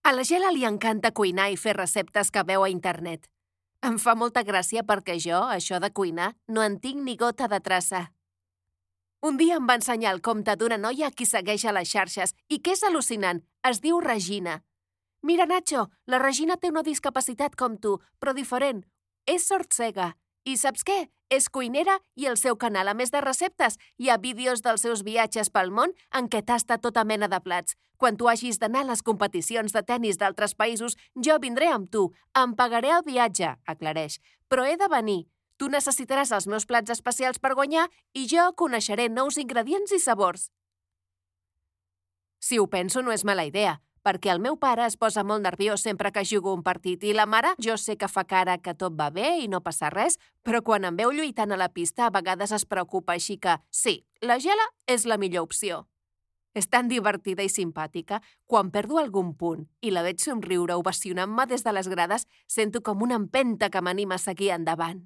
A la Gela li encanta cuinar i fer receptes que veu a internet. Em fa molta gràcia perquè jo, això de cuinar, no en tinc ni gota de traça. Un dia em va ensenyar el compte d'una noia a qui segueix a les xarxes i que és al·lucinant. Es diu Regina. Mira, Nacho, la Regina té una discapacitat com tu, però diferent. És sordcega. I saps què? És cuinera i el seu canal, a més de receptes, hi ha vídeos dels seus viatges pel món en què tasta tota mena de plats. Quan tu hagis d'anar a les competicions de tennis d'altres països, jo vindré amb tu. Em pagaré el viatge, aclareix. Però he de venir. Tu necessitaràs els meus plats especials per guanyar i jo coneixeré nous ingredients i sabors. Si ho penso, no és mala idea, perquè el meu pare es posa molt nerviós sempre que jugo un partit i la mare jo sé que fa cara que tot va bé i no passa res, però quan em veu lluitant a la pista a vegades es preocupa, així que sí, la Gela és la millor opció. És tan divertida i simpàtica. Quan perdo algun punt i la veig somriure ovacionant-me des de les grades, sento com una empenta que m'anima a seguir endavant.